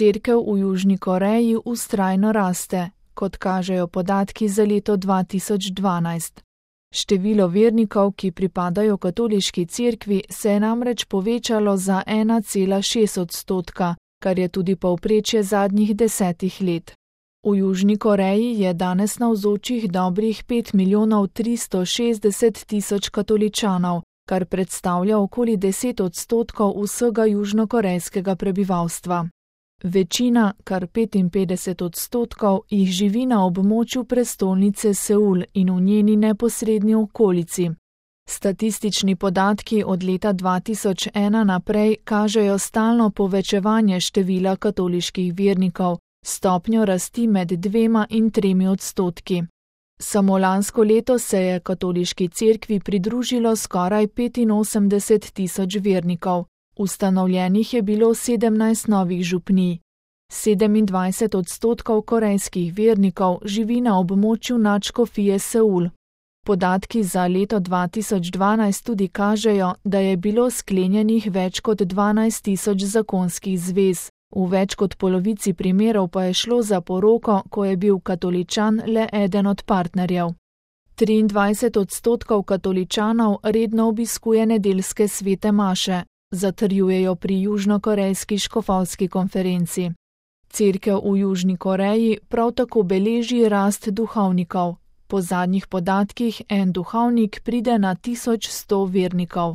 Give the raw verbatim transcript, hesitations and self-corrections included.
Cerkev v Južni Koreji vztrajno raste, kot kažejo podatki za leto dva tisoč dvanajst. Število vernikov, ki pripadajo katoliški cerkvi, se je namreč povečalo za ena cela šest odstotka, kar je tudi povprečje zadnjih desetih let. V Južni Koreji je danes navzočih dobrih pet milijonov tristo šestdeset tisoč katoličanov, kar predstavlja okoli deset odstotkov vsega južnokorejskega prebivalstva. Večina, kar petinpetdeset odstotkov, jih živi na območju prestolnice Seul in v njeni neposredni okolici. Statistični podatki od leta dva tisoč ena naprej kažejo stalno povečevanje števila katoliških vernikov, stopnjo rasti med dvema in tremi odstotki. Samo lansko leto se je katoliški cerkvi pridružilo skoraj petinosemdeset tisoč vernikov. Ustanovljenih je bilo sedemnajst novih župnij. sedemindvajset odstotkov korejskih vernikov živi na območju nadškofije Seul. Podatki za leto dva tisoč dvanajst tudi kažejo, da je bilo sklenjenih več kot dvanajst tisoč zakonskih zvez, v več kot polovici primerov pa je šlo za poroko, ko je bil katoličan le eden od partnerjev. triindvajset odstotkov katoličanov redno obiskuje nedeljske svete maše, zatrjujejo pri južnokorejski škofovski konferenci. Cerkev v Južni Koreji prav tako beleži rast duhovnikov. Po zadnjih podatkih en duhovnik pride na tisoč sto vernikov.